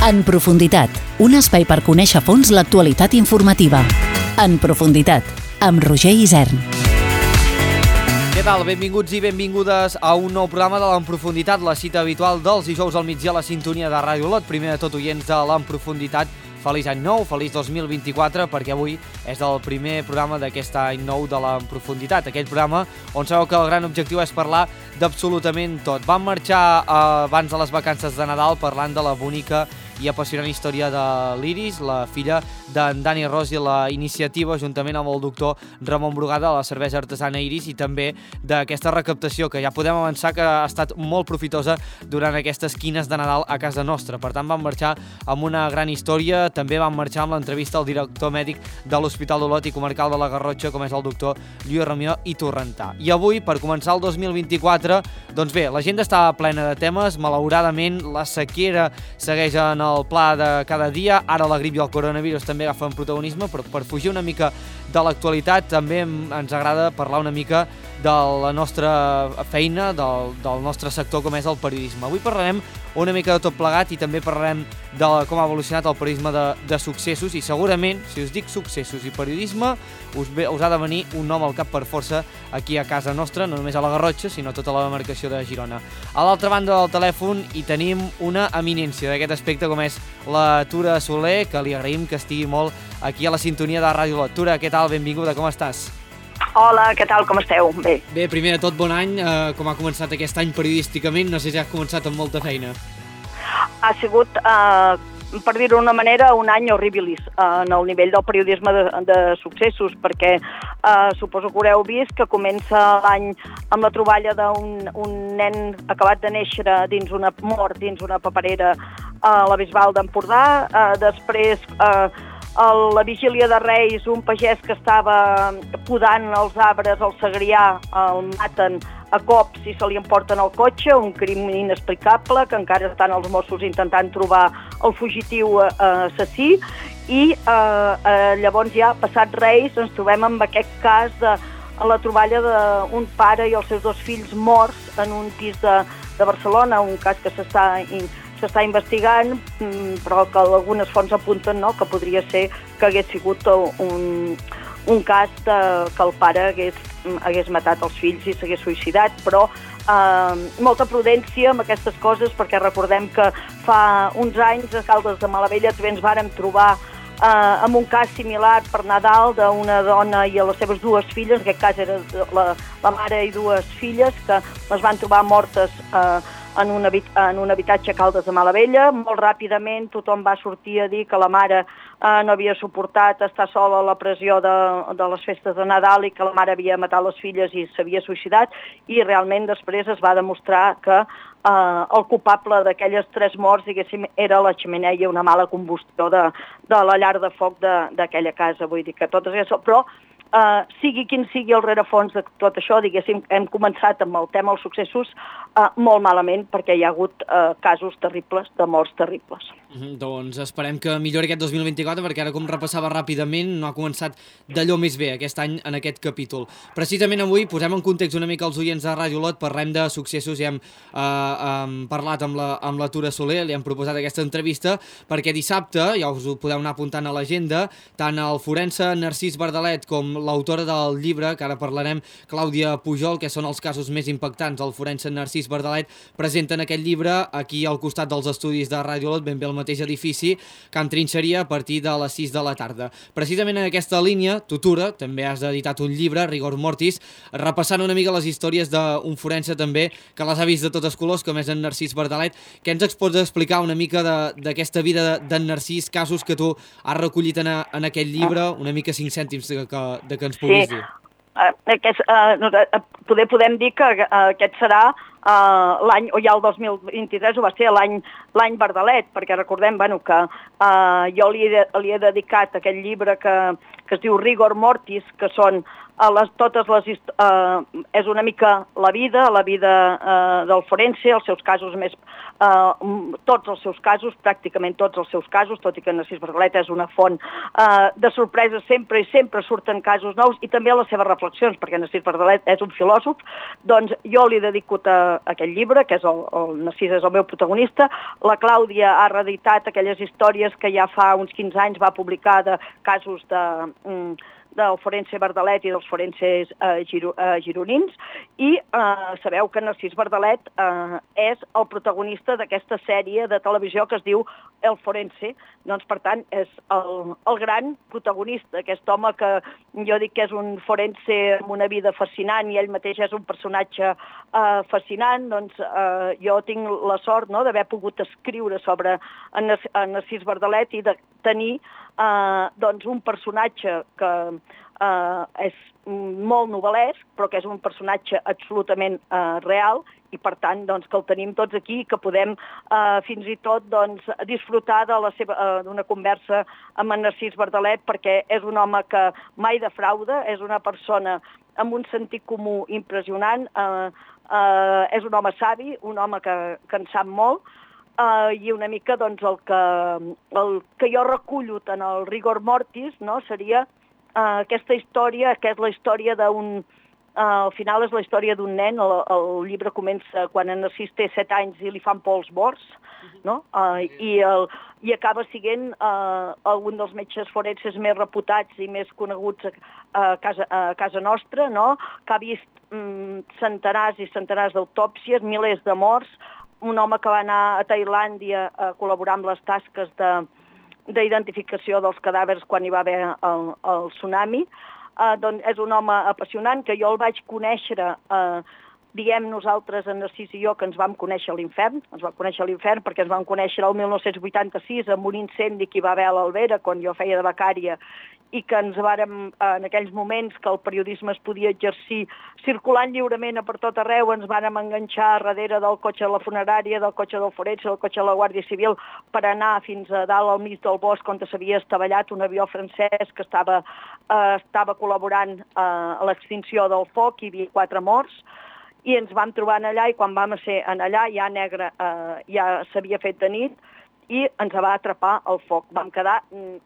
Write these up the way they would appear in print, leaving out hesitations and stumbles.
En profunditat, un espai per conèixer a fons l'actualitat informativa. En profunditat, amb Roger Isern. Què tal? Benvinguts i benvingudes a un nou programa de l'En Profunditat, la cita habitual dels dijous al migdia a la sintonia de Ràdio Olot. Primer de tot, oients de l'En Profunditat, feliç any nou, feliç 2024, perquè avui és el primer programa d'aquest any nou de l'En Profunditat. Aquell programa on sabeu que el gran objectiu és parlar d'absolutament tot. Vam marxar abans de les vacances de Nadal parlant de la bonica i apassionant història de l'Iris, la filla d'en Dani Ros, i la iniciativa, juntament amb el doctor Ramon Brugada, de la cervesa artesana Iris, i també d'aquesta recaptació que ja podem avançar que ha estat molt profitosa durant aquestes quines de Nadal a casa nostra. Per tant, vam marxar amb una gran història. També vam marxar amb l'entrevista al director mèdic de l'Hospital d'Olot i Comarcal de la Garrotxa, com és el doctor Lluís Ramió i Torrentà. I avui, per començar el 2024, doncs bé, l'agenda està plena de temes. Malauradament, la sequera segueix en el pla de cada dia. Ara la grip i el coronavirus també agafen protagonisme, però per fugir una mica de l'actualitat també ens agrada parlar una mica de la nostra feina, del nostre sector, com és el periodisme. Avui parlarem una mica de tot plegat i també parlarem de com ha evolucionat el periodisme de successos, i segurament, si us dic successos i periodisme, us ha de venir un nom al cap per força aquí a casa nostra, no només a la Garrotxa, sinó a tota la demarcació de Girona. A l'altra banda del telèfon hi tenim una eminència d'aquest aspecte, com és la Tura Soler, que li agraïm que estigui molt aquí a la sintonia de Ràdio Olot. Tura, què tal? Benvinguda, com estàs? Hola, què tal? Com esteu? Bé. Bé, primer de tot, bon any. Com ha començat aquest any periodísticament? No sé si ha començat amb molta feina. Ha sigut, per dir-ho d'una manera, un any horribilis en el nivell del periodisme de successos, perquè suposo que haureu vist que comença l'any amb la troballa d'un nen acabat de néixer dins una paperera a la Bisbal d'Empordà. Després, a la vigília de Reis, un pagès que estava podant els arbres al Segrià el maten a cops i se li emporten el cotxe, un crim inexplicable que encara estan els Mossos intentant trobar el fugitiu assassí. I llavors ja, passat Reis, ens trobem amb aquest cas de la troballa d'un pare i els seus dos fills morts en un pis de Barcelona, un cas que s'està investigant, però que algunes fonts apunten que podria ser que hagués sigut un cas que el pare hagués matat els fills i s'hagués suïcidat, però molta prudència amb aquestes coses, perquè recordem que fa uns anys a Caldes de Malavella també ens vàrem trobar amb un cas similar per Nadal d'una dona i a les seves dues filles, en aquest cas era la mare i dues filles, que les van trobar mortes en un habitatge a Caldes de Malavella. Molt ràpidament tothom va sortir a dir que la mare no havia suportat estar sola a la pressió de les festes de Nadal i que la mare havia matat les filles i s'havia suïcidat, i realment després es va demostrar que el culpable d'aquelles 3 morts, diguéssim, era la xemeneia i una mala combustió de la llar de foc d'aquella casa. Vull dir que tot això, però sigui quin sigui el rerefons de tot això, diguéssim, hem començat amb el tema dels successos molt malament, perquè hi ha hagut casos terribles, de morts terribles. Doncs esperem que millori aquest 2024, perquè ara, com repassava ràpidament, no ha començat d'allò més bé aquest any en aquest capítol. Precisament avui posem en context una mica els oients de Ràdio Olot, parlem de successos i hem parlat amb la Tura Soler, li hem proposat aquesta entrevista, perquè dissabte, ja us ho podeu anar apuntant a l'agenda, tant el forense Narcís Bardalet com l'autora del llibre, que ara parlarem, Clàudia Pujol, que són els casos més impactants, el forense Narcís Bardalet, presenten aquest llibre aquí al costat dels estudis de Ràdio Olot, ben bé al mateix edifici, Can Trinxeria, a partir de les 6 de la tarda. Precisament en aquesta línia, tu, Tura, també has editat un llibre, Rigor Mortis, repassant una mica les històries d'un forense també, que les ha vist de totes colors, com és en Narcís Bardalet. Què ens pots explicar una mica d'aquesta vida d'en Narcís, casos que tu has recollit en aquest llibre, una mica 5 cèntims que ens puguis dir? Podem dir que aquest serà l'any, o ja el 2023 ho va ser l'any Bardalet, perquè recordem que jo li he dedicat aquest llibre que es diu Rigor Mortis, que són és una mica la vida del forense, els seus casos més, tots els seus casos, pràcticament tots els seus casos, tot i que Narcís Bardalet és una font de sorpreses sempre i sempre surten casos nous, i també les seves reflexions, perquè Narcís Bardalet és un filòsof. Doncs jo li dedico aquest llibre, que és el Narcís és el meu protagonista. La Clàudia ha reeditat aquelles històries que ja fa uns 15 anys va publicar de casos del forense Bardalet i dels forenses gironins, i sabeu que Narcís Bardalet és el protagonista d'aquesta sèrie de televisió que es diu El Forense. Doncs, per tant, és el gran protagonista, aquest home que jo dic que és un forense amb una vida fascinant i ell mateix és un personatge fascinant. Doncs jo tinc la sort d'haver pogut escriure sobre en Narcís Bardalet i de tenir un personatge que és molt novel·lesc, però que és un personatge absolutament real, i per tant que el tenim tots aquí, que podem fins i tot disfrutar d'una conversa amb en Narcís Bardalet, perquè és un home que mai defrauda, és una persona amb un sentit comú impressionant, és un home savi, un home que en sap molt, i una mica el que jo recullo en el rigor mortis seria aquesta història, que és la història al final és la història d'un nen. El llibre comença quan en Narcís té 7 anys i li fan por els morts, i acaba sent un dels metges forenses més reputats i més coneguts a casa nostra, que ha vist centenars i centenars d'autòpsies, milers de morts, un home que va anar a Tailàndia a col·laborar amb les tasques d'identificació dels cadàvers quan hi va haver el tsunami. Doncs és un home apassionant, que jo el vaig conèixer, diem nosaltres, en Narcís i jo, que ens vam conèixer a l'infern. Ens vam conèixer a l'infern perquè ens vam conèixer el 1986 amb un incendi que hi va haver a l'Albera, quan jo feia de becària, i que ens vàrem, en aquells moments que el periodisme es podia exercir circulant lliurement per tot arreu, ens vàrem enganxar darrere del cotxe de la funerària, del cotxe del forense, del cotxe de la Guàrdia Civil, per anar fins a dalt al mig del bosc on s'havia estavellat un avió francès que estava col·laborant a l'extinció del foc. Hi havia 4 morts, i ens vam trobar allà, i quan vam ser allà ja negre, ja s'havia fet de nit, i ens va atrapar el foc. Vam quedar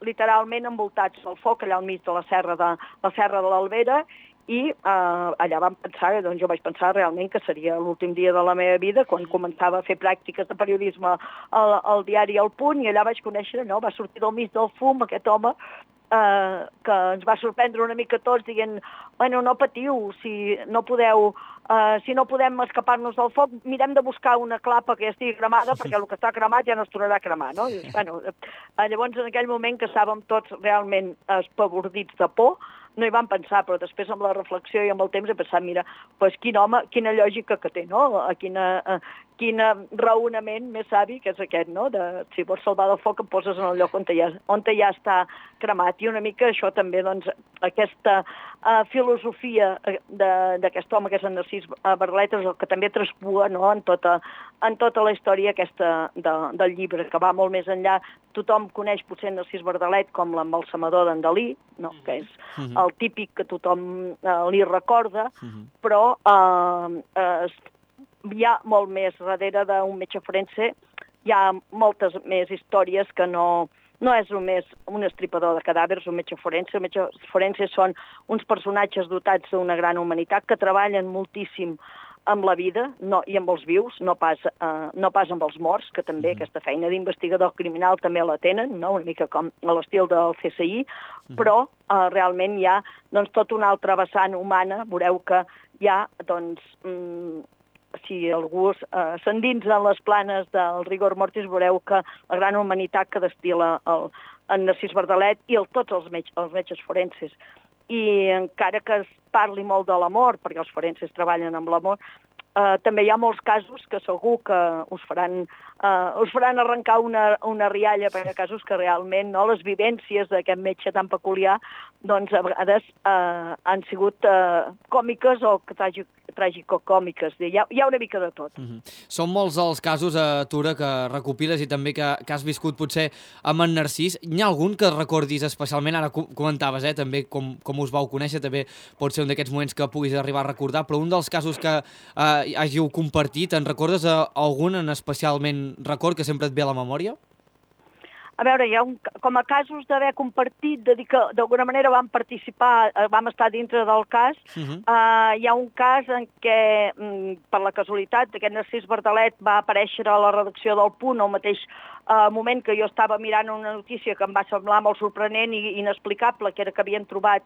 literalment envoltats del foc allà al mig de la serra de l'Albera, i allà vam pensar, doncs jo vaig pensar realment que seria l'últim dia de la meva vida, quan començava a fer pràctiques de periodisme al diari El Punt, i allà vaig conèixer, va sortir del mig del fum aquest home que ens va sorprendre una mica tots, dient, bueno, no patiu, si no podem escapar-nos del foc, mirem de buscar una clapa que ja estigui cremada, perquè el que està cremat ja no es tornarà a cremar, no? I, bueno, llavors, en aquell moment que estàvem tots realment espavordits de por, no hi vam pensar, però després amb la reflexió i amb el temps he pensat, mira, doncs quin home, quina lògica que té, no? Quin raonament més savi que és aquest, no? Si vols salvar del foc, et poses en el lloc on ja està cremat. I una mica això també, doncs, aquesta filosofia d'aquest home que és en Narcís Bardalet és el que també traspua, no?, en tota la història aquesta del llibre, que va molt més enllà. Tothom coneix potser Narcís Bardalet com l'embalsamador d'en Dalí, no?, que és el típic que tothom li recorda, però hi ha molt més darrere d'un metge forense, hi ha moltes més històries que no és només un estripador de cadàvers, un metge forense. Els metges forenses són uns personatges dotats d'una gran humanitat que treballen moltíssim amb la vida i amb els vius, no pas amb els morts, que també aquesta feina d'investigador criminal també la tenen, no? Una mica com a l'estil del CSI, però realment hi ha tota una altra vessant humana. Veureu que hi ha, si algú s'endinsa en les planes del rigor mortis, veureu que la gran humanitat que destil·la en Narcís Bardalet i tots els metges forenses. I encara que es parli molt de l'amor, perquè els forenses treballen amb l'amor, també hi ha molts casos que segur que us faran arrencar una rialla, perquè hi ha casos que realment les vivències d'aquest metge tan peculiar doncs a vegades han sigut còmiques o tràgico-còmiques, hi ha una mica de tot. Són molts els casos, Tura, que recopiles i també que has viscut potser amb en Narcís. N'hi ha algun que recordis especialment? Ara comentaves, també com us vau conèixer, també pot ser un d'aquests moments que puguis arribar a recordar, però un dels casos que hàgiu compartit, en recordes algun en especialment record que sempre et ve a la memòria? A veure, com a casos d'haver compartit, de dir que d'alguna manera vam participar, vam estar dintre del cas, hi ha un cas en què, per la casualitat, aquest Narcís Bardalet va aparèixer a la redacció del Punt al mateix moment que jo estava mirant una notícia que em va semblar molt sorprenent i inexplicable, que era que havien trobat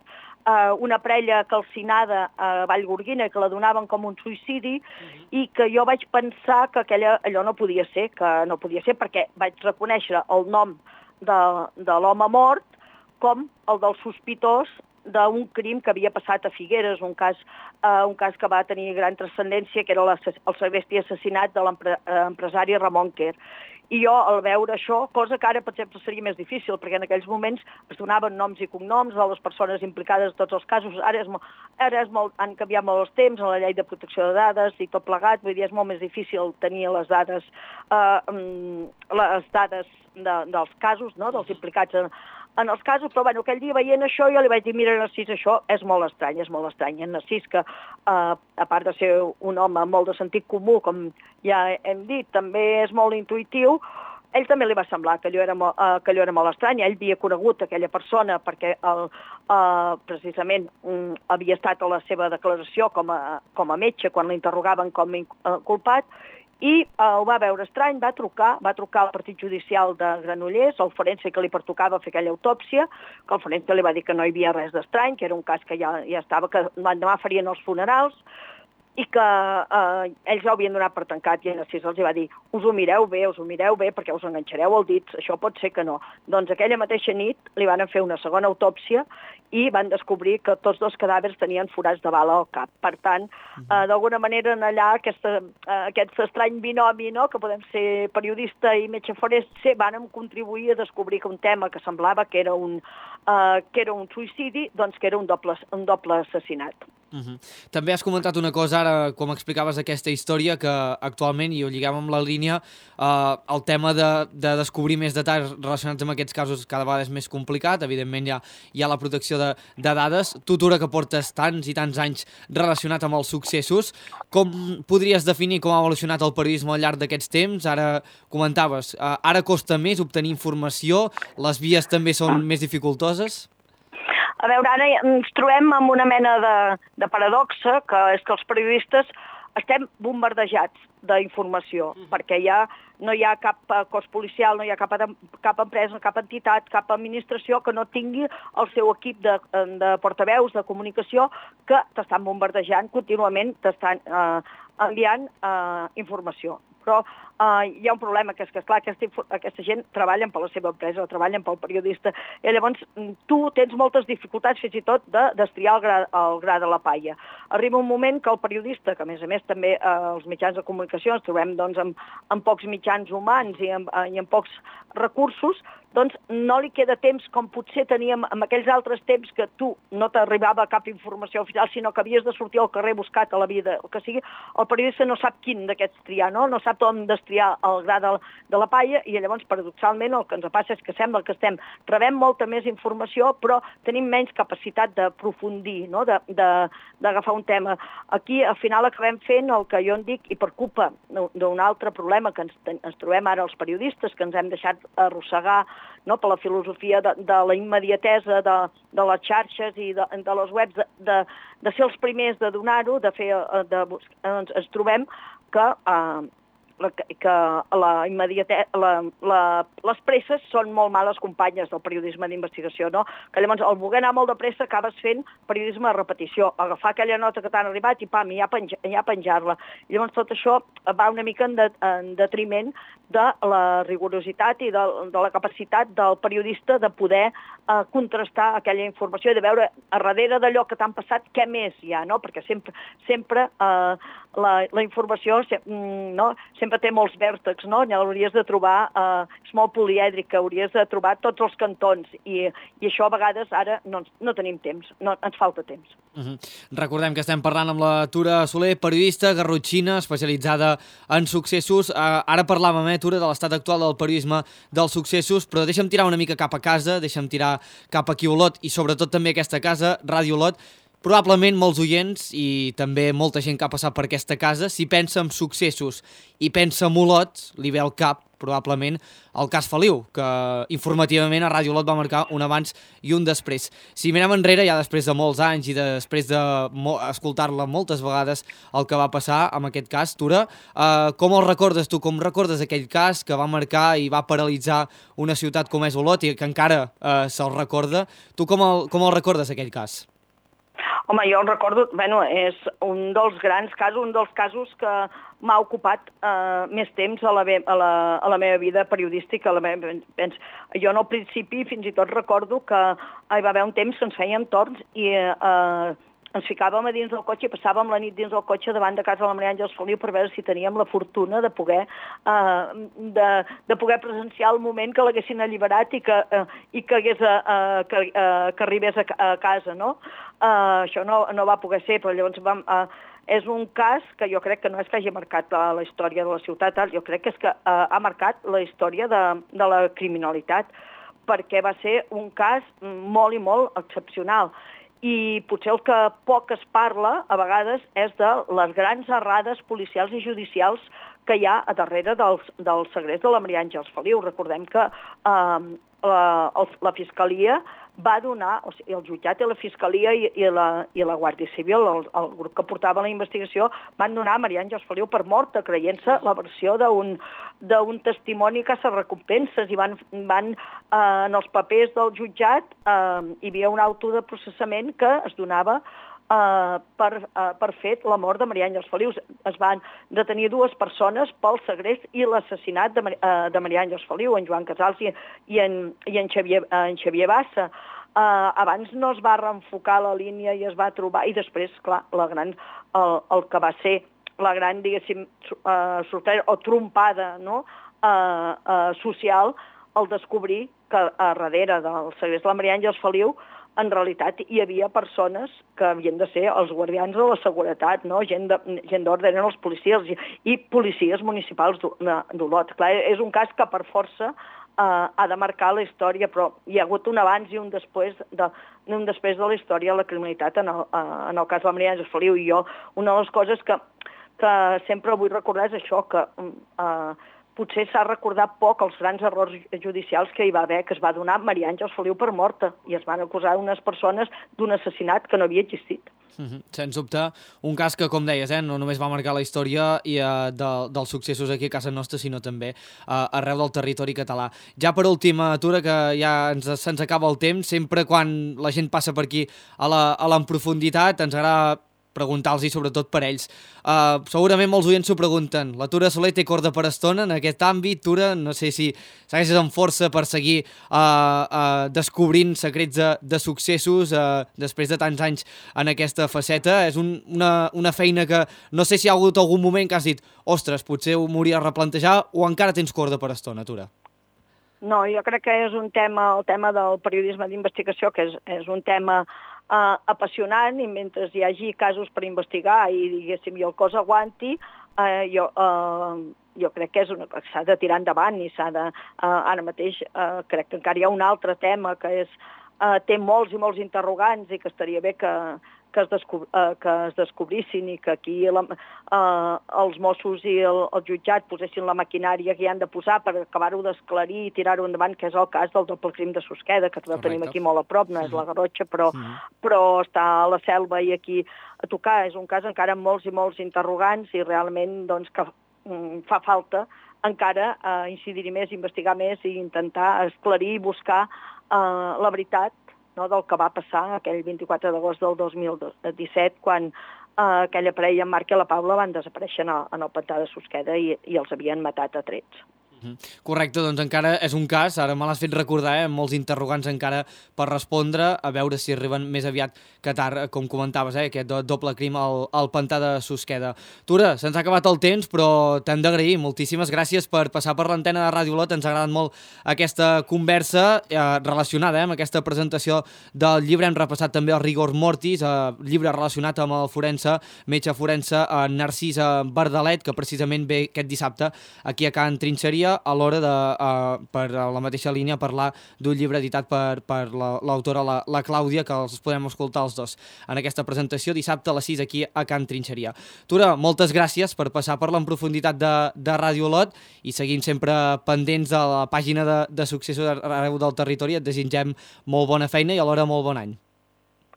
una parella calcinada a Vallgorguina i que la donaven com un suïcidi, i que jo vaig pensar que allò no podia ser, perquè vaig reconèixer el nom de l'home mort com el del sospitós d'un crim que havia passat a Figueres, un cas que va tenir gran transcendència, que era el segrest i assassinat de l'empresari Ramon Quer. I jo, al veure això, cosa que ara, per exemple, seria més difícil, perquè en aquells moments es donaven noms i cognoms de les persones implicades en tots els casos. Ara han canviat molt els temps, la llei de protecció de dades i tot plegat, vull dir, és molt més difícil tenir les dades dels casos, no?, dels implicats en els casos, però bueno, aquell dia veient això jo li vaig dir, mira, Narcís, això és molt estrany. En Narcís, que a part de ser un home molt de sentit comú, com ja hem dit, també és molt intuïtiu, ell també li va semblar que allò era molt estrany. Ell havia conegut aquella persona perquè precisament havia estat a la seva declaració com a metge quan l'interrogaven com a culpat, i ho va veure estrany, va trucar al partit judicial de Granollers, al forense que li pertocava fer aquella autòpsia, que el forense li va dir que no hi havia res d'estrany, que era un cas que ja estava, que l'endemà farien els funerals, i que ells ho havien donat per tancat, i en Narcís els va dir, us ho mireu bé, perquè us enganxareu el dit, això pot ser que no. Doncs aquella mateixa nit li van fer una segona autòpsia i van descobrir que tots dos cadàvers tenien forats de bala al cap. Per tant, d'alguna manera, allà, aquest estrany binomi, no?, que podem ser periodista i metge forense, van contribuir a descobrir que un tema que semblava que era un suïcidi, doncs que era un doble assassinat. També has comentat una cosa ara, com explicaves aquesta història, que actualment, i ho lliguem amb la línia, el tema de descobrir més detalls relacionats amb aquests casos cada vegada és més complicat. Evidentment hi ha la protecció de dades. Tu, Tura, que portes tants i tants anys relacionat amb els successos, com podries definir com ha evolucionat el periodisme al llarg d'aquests temps? Ara comentaves, ara costa més obtenir informació, les vies també són més dificultoses? A veure, ara ens trobem amb una mena de paradoxa, que és que els periodistes estem bombardejats d'informació, perquè no hi ha cap cos policial, no hi ha cap empresa, cap entitat, cap administració que no tingui el seu equip de portaveus de comunicació que t'estan bombardejant contínuament, t'estan enviant informació. Però hi ha un problema, que és que, esclar, aquesta gent treballen per la seva empresa, treballen pel periodista, i llavors tu tens moltes dificultats fins i tot de destriar el gra de la palla. Arriba un moment que el periodista, que a més també els mitjans de comunicació ens trobem amb pocs mitjans humans i amb pocs recursos, doncs no li queda temps com potser teníem en aquells altres temps que tu no t'arribava cap informació oficial, sinó que havies de sortir al carrer buscat a la vida, el que sigui. El periodista no sap quin d'aquests triar, no sap on destriar el gra de la palla, i llavors, paradoxalment, el que ens passa és que sembla que rebem molta més informació, però tenim menys capacitat d'aprofundir, no?, d'agafar un tema. Aquí, al final, acabem fent el que jo en dic, i per culpa d'un altre problema que ens trobem ara els periodistes, que ens hem deixat arrossegar, no?, per la filosofia de la immediatesa de les xarxes i de les webs, de ser els primers de donar-ho, ens trobem que les presses són molt males companyes del periodisme d'investigació, no? Que llavors, al voler anar molt de pressa, acabes fent periodisme de repetició, agafar aquella nota que t'han arribat i pam, ja penjar-la. I llavors tot això va una mica en detriment de la rigorositat i de la capacitat del periodista de poder contrastar aquella informació i de veure a darrere d'allò que t'han passat què més hi ha, no? Perquè sempre la informació no? Sempre té molts vèrtexs, no? Hauries de trobar, és molt polièdrica, hauries de trobar tots els cantons i això a vegades ara no tenim temps, ens falta temps. Recordem que estem parlant amb la Tura Soler, periodista garrotxina, especialitzada en successos. Ara parlàvem, Tura, de l'estat actual del periodisme dels successos, però deixa'm tirar una mica cap a casa, deixa'm tirar cap aquí a Olot i sobretot també aquesta casa, Ràdio Olot. Probablement molts oients i també molta gent que ha passat per aquesta casa, si pensa en successos i pensa en Olot, li ve al cap probablement el cas Feliu, que informativament a Ràdio Olot va marcar un abans i un després. Si mirem enrere, ja després de molts anys i després d'escoltar-la moltes vegades el que va passar amb aquest cas, Tura, com el recordes tu? Com recordes aquell cas que va marcar i va paralitzar una ciutat com és Olot i que encara se'l recorda? Tu com el recordes aquell cas? Home, jo el recordo, és un dels grans casos, un dels casos que m'ha ocupat més temps a la meva vida periodística. Jo al principi fins i tot recordo que hi va haver un temps que ens fèiem torns i ens ficàvem a dins del cotxe i passàvem la nit dins del cotxe davant de casa de la Maria Àngels Feliu per veure si teníem la fortuna de poder presenciar el moment que l'haguessin alliberat i que arribés a casa, no? Això no va poder ser, però llavors és un cas que jo crec que no és que hagi marcat la història de la ciutat, jo crec que és que ha marcat la història de la criminalitat, perquè va ser un cas molt i molt excepcional. I potser el que poc es parla, a vegades, és de les grans errades policials i judicials que hi ha a darrere del segrest de la Maria Àngels Feliu. Recordem que la Fiscalia va donar, o sigui, el jutjat i la Fiscalia i la Guàrdia Civil, el grup que portava la investigació, van donar a Maria Àngels Feliu per morta, creient-se la versió d'un testimoni que se recompenses i van en els papers del jutjat hi havia un auto de processament que es donava per fet la mort de Maria Àngels Feliu. Es van detenir 2 persones pel segrest i l'assassinat de Maria Àngels Feliu, en Joan Casals i en Xavier Bassa. Abans no es va reenfocar la línia i es va trobar, i després, clar, el que va ser la gran, diguéssim, sorpresa o trompada, no?, social, al descobrir que a darrere del segrest de la Maria Àngels Feliu en realitat hi havia persones que havien de ser els guardians de la seguretat, no? Gent d'ordre, eren els policies i policies municipals d'Olot. Clar, és un cas que per força ha de marcar la història, però hi ha hagut un abans i un després de la història de la criminalitat en el cas de la Maria Àngels Feliu. I jo, una de les coses que sempre vull recordar és això, que potser s'ha recordat poc els grans errors judicials que hi va haver, que es va donar Maria Àngels Feliu per morta i es van acusar unes persones d'un assassinat que no havia existit. Sens dubte, un cas que, com deies, no només va marcar la història dels successos aquí a casa nostra, sinó també arreu del territori català. Ja per última, Tura, que ja se'ns acaba el temps, sempre quan la gent passa per aquí a l'Enprofunditat ens agrada preguntar-los, i sobretot per ells. Segurament molts oients s'ho pregunten. La Tura Soler té corda per estona en aquest àmbit. Tura, no sé si segueixes amb força per seguir descobrint secrets de successos després de tants anys en aquesta faceta. És una feina que no sé si hi ha hagut algun moment que has dit ostres, potser ho m'hauria de replantejar, o encara tens corda per estona, Tura? No, jo crec que és un tema, el tema del periodisme d'investigació, que és un tema apassionant, i mentre hi hagi casos per investigar i, diguéssim, i el cos aguanti, jo crec que s'ha de tirar endavant i s'ha de... Ara mateix crec que encara hi ha un altre tema que té molts i molts interrogants i que estaria bé que es descobrissin i que aquí els Mossos i el jutjat posessin la maquinària que hi han de posar per acabar-ho d'esclarir i tirar-ho endavant, que és el cas del doble crim de Susqueda, que el tenim aquí molt a prop, no és la Garrotxa, però està a la Selva i aquí a tocar. És un cas encara amb molts i molts interrogants i realment doncs, que fa falta encara incidir més, investigar més i intentar esclarir i buscar la veritat, no, del que va passar aquell 24 d'agost del 2017, quan aquella parella, en Marc i la Paula, van desaparèixer en el pantà de Susqueda i els havien matat a trets. Correcte, doncs encara és un cas, ara me l'has fet recordar, molts interrogants encara per respondre, a veure si arriben més aviat que tard, com comentaves, aquest doble crim al pantà de Susqueda. Tura, se'ns ha acabat el temps, però t'hem d'agrair, moltíssimes gràcies per passar per l'antena de Ràdio Olot, ens ha agradat molt aquesta conversa relacionada amb aquesta presentació del llibre, hem repassat també el Rigor Mortis, llibre relacionat amb el forense, metge forense Narcís Bardalet, que precisament ve aquest dissabte aquí a Can Trinxeria, a l'hora de, per la mateixa línia, parlar d'un llibre editat per l'autora, la Clàudia, que els podem escoltar els dos en aquesta presentació dissabte a les 6 aquí a Can Trinxeria. Tura, moltes gràcies per passar per en profunditat de Ràdio Olot i seguim sempre pendents de la pàgina de successos arreu del territori. Et desitgem molt bona feina i alhora molt bon any.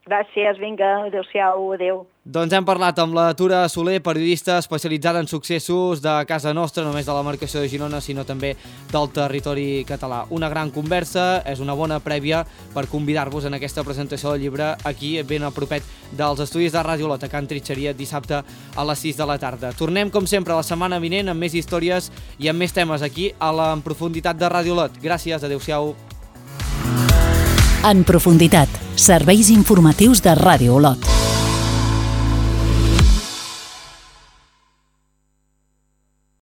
Gràcies, vinga, adéu-siau, adéu. Doncs hem parlat amb la Tura Soler, periodista especialitzada en successos de casa nostra, no només de la demarcació de Girona, sinó també del territori català. Una gran conversa, és una bona prèvia per convidar-vos en aquesta presentació del llibre aquí, ben a propet dels estudis de Ràdio Olot, a Can Trinxeria, dissabte a les 6 de la tarda. Tornem, com sempre, la setmana vinent amb més històries i amb més temes aquí a la En Profunditat de Ràdio Olot. Gràcies, adéu-siau. En Profunditat, serveis informatius de Ràdio Olot.